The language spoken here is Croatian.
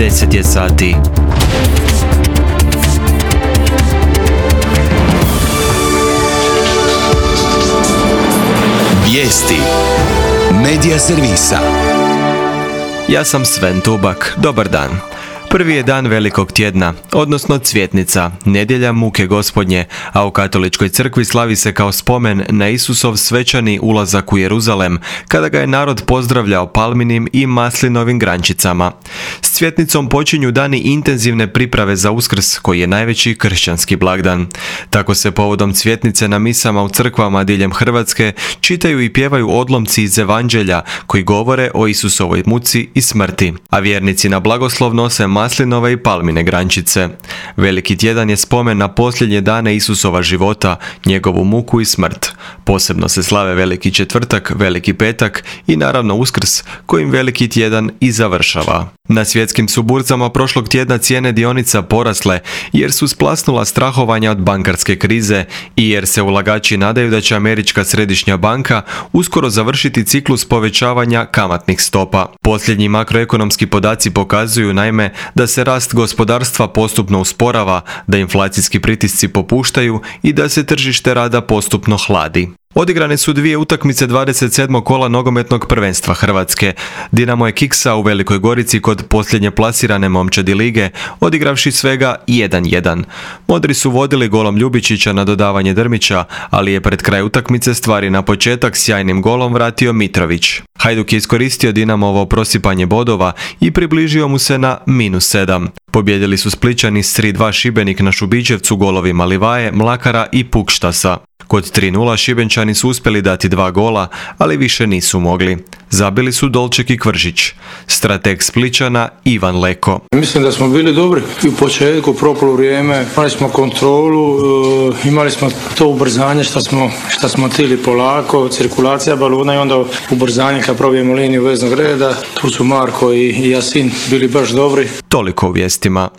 10 je sati. Vijesti Medija servisa. Ja sam Sven Tubak. Dobar dan. Prvi je dan Velikog tjedna, odnosno Cvjetnica, nedjelja muke Gospodnje, a u katoličkoj crkvi slavi se kao spomen na Isusov svečani ulazak u Jeruzalem, kada ga je narod pozdravljao palminim i maslinovim grančicama. S Cvjetnicom počinju dani intenzivne priprave za Uskrs, koji je najveći kršćanski blagdan. Tako se povodom Cvjetnice na misama u crkvama diljem Hrvatske čitaju i pjevaju odlomci iz Evanđelja koji govore o Isusovoj muci i smrti, a vjernici na blagoslov nose maslinove i palmine grančice. Veliki tjedan je spomen na posljednje dane Isusova života, njegovu muku i smrt. Posebno se slave Veliki četvrtak, Veliki petak i naravno Uskrs, kojim Veliki tjedan i završava. Na svjetskim su burzama prošlog tjedna cijene dionica porasle jer su splasnula strahovanja od bankarske krize i jer se ulagači nadaju da će Američka središnja banka uskoro završiti ciklus povećavanja kamatnih stopa. Posljednji makroekonomski podaci pokazuju naime da se rast gospodarstva postupno usporava, da inflacijski pritisci popuštaju i da se tržište rada postupno hladi. Odigrane su dvije utakmice 27. kola nogometnog prvenstva Hrvatske. Dinamo je kiksao u Velikoj Gorici kod posljednje plasirane momčadi lige, odigravši svega 1:1. Modri su vodili golom Ljubičića na dodavanje Drmića, ali je pred kraj utakmice stvari na početak sjajnim golom vratio Mitrović. Hajduk je iskoristio Dinamovo prosipanje bodova i približio mu se na -7. Pobjedili su Splićani s 3:2 Šibenik na Šubićevcu golovima Livaje, Mlakara i Pukštasa. Kod 3:0 Šibenčani su uspjeli dati 2 gola, ali više nisu mogli. Zabili su Dolček i Kvržić. Strateg Splićana Ivan Leko. Mislim da smo bili dobri i u početku, propalo vrijeme, imali smo kontrolu, imali smo to ubrzanje što smo htjeli polako, cirkulacija balona i onda ubrzanje kad probijemo liniju veznog reda. Tu su Marko i Jasin bili baš dobri. Toliko u vijestima.